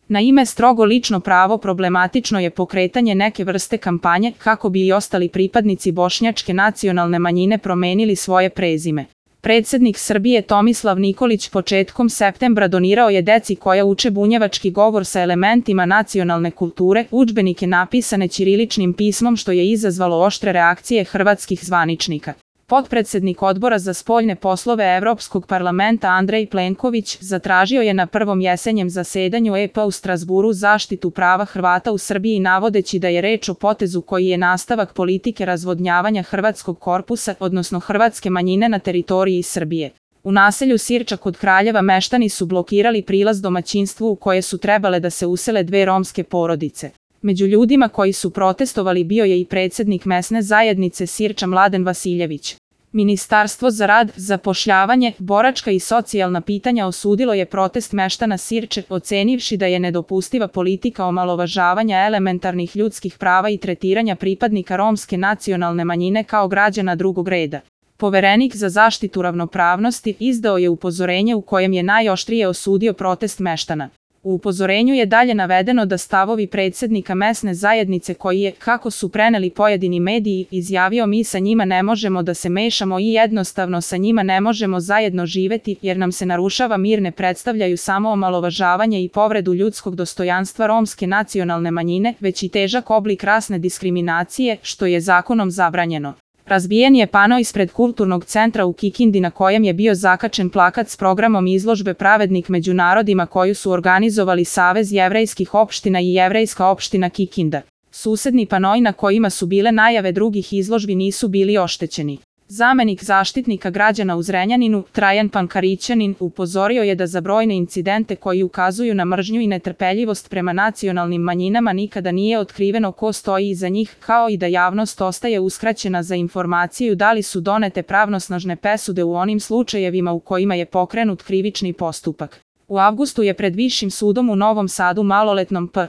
Na ime strogo lično pravo problematično je pokretanje neke vrste kampanje kako bi i ostali pripadnici bošnjačke nacionalne manjine promenili svoje prezime. Predsednik Srbije Tomislav Nikolić početkom septembra donirao je deci koja uče bunjevački govor sa elementima nacionalne kulture udžbenike napisane ćiriličnim pismom, što je izazvalo oštre reakcije hrvatskih zvaničnika. Potpredsednik Odbora za spoljne poslove Evropskog parlamenta Andrej Plenković zatražio je na prvom jesenjem zasedanju EP u Strazburu zaštitu prava Hrvata u Srbiji, navodeći da je reč o potezu koji je nastavak politike razvodnjavanja hrvatskog korpusa, odnosno hrvatske manjine na teritoriji Srbije. U naselju Sirča kod Kraljeva meštani su blokirali prilaz domaćinstvu u koje su trebale da se usele dve romske porodice. Među ljudima koji su protestovali bio je i predsednik mesne zajednice Sirča Mladen Vasiljević. Ministarstvo za rad, zapošljavanje, boračka i socijalna pitanja osudilo je protest meštana Sirče, ocenivši da je nedopustiva politika omalovažavanja elementarnih ljudskih prava i tretiranja pripadnika romske nacionalne manjine kao građana drugog reda. Poverenik za zaštitu ravnopravnosti izdao je upozorenje u kojem je najoštrije osudio protest meštana. U upozorenju je dalje navedeno da stavovi predsednika mesne zajednice koji je, kako su preneli pojedini mediji, izjavio mi sa njima ne možemo da se mešamo i jednostavno sa njima ne možemo zajedno živeti jer nam se narušava mir, ne predstavljaju samo omalovažavanje i povredu ljudskog dostojanstva romske nacionalne manjine, već i težak oblik rasne diskriminacije, što je zakonom zabranjeno. Razbijen je pano ispred kulturnog centra u Kikindi na kojem je bio zakačen plakat s programom izložbe Pravednik među narodima koju su organizovali Savez jevrejskih opština i Jevrejska opština Kikinda. Susedni panoi na kojima su bile najave drugih izložbi nisu bili oštećeni. Zamenik zaštitnika građana u Zrenjaninu, Trajan Pankarićanin, upozorio je da za brojne incidente koji ukazuju na mržnju i netrpeljivost prema nacionalnim manjinama nikada nije otkriveno ko stoji iza njih, kao i da javnost ostaje uskraćena za informaciju da li su donete pravnosnažne presude u onim slučajevima u kojima je pokrenut krivični postupak. U avgustu je pred Višim sudom u Novom Sadu maloletnom P.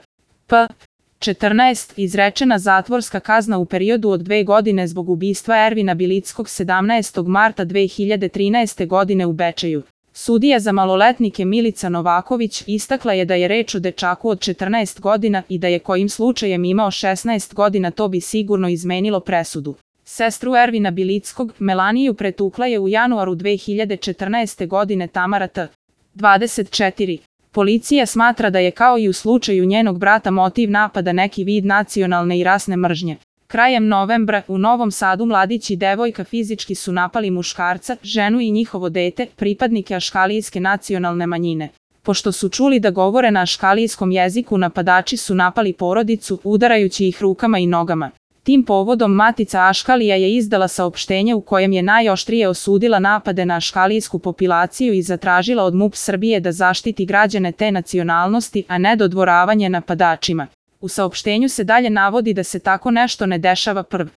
14 izrečena zatvorska kazna u periodu od 2 godine zbog ubistva Ervina Bilickog 17. marta 2013. godine u Bečeju. Sudija za maloletnike Milica Novaković istakla je da je reč o dečaku od 14 godina i da je kojim slučajem imao 16 godina to bi sigurno izmenilo presudu. Sestru Ervina Bilickog, Melaniju, pretukla je u januaru 2014. godine Tamara T. 24. Policija smatra da je kao i u slučaju njenog brata motiv napada neki vid nacionalne i rasne mržnje. Krajem novembra u Novom Sadu mladić i devojka fizički su napali muškarca, ženu i njihovo dete, pripadnike aškalijske nacionalne manjine. Pošto su čuli da govore na aškalijskom jeziku, napadači su napali porodicu, udarajući ih rukama i nogama. Tim povodom Matica Aškalija je izdala saopštenje u kojem je najoštrije osudila napade na aškalijsku populaciju i zatražila od MUP Srbije da zaštiti građane te nacionalnosti, a ne dodvoravanje napadačima. U saopštenju se dalje navodi da se tako nešto ne dešava prvi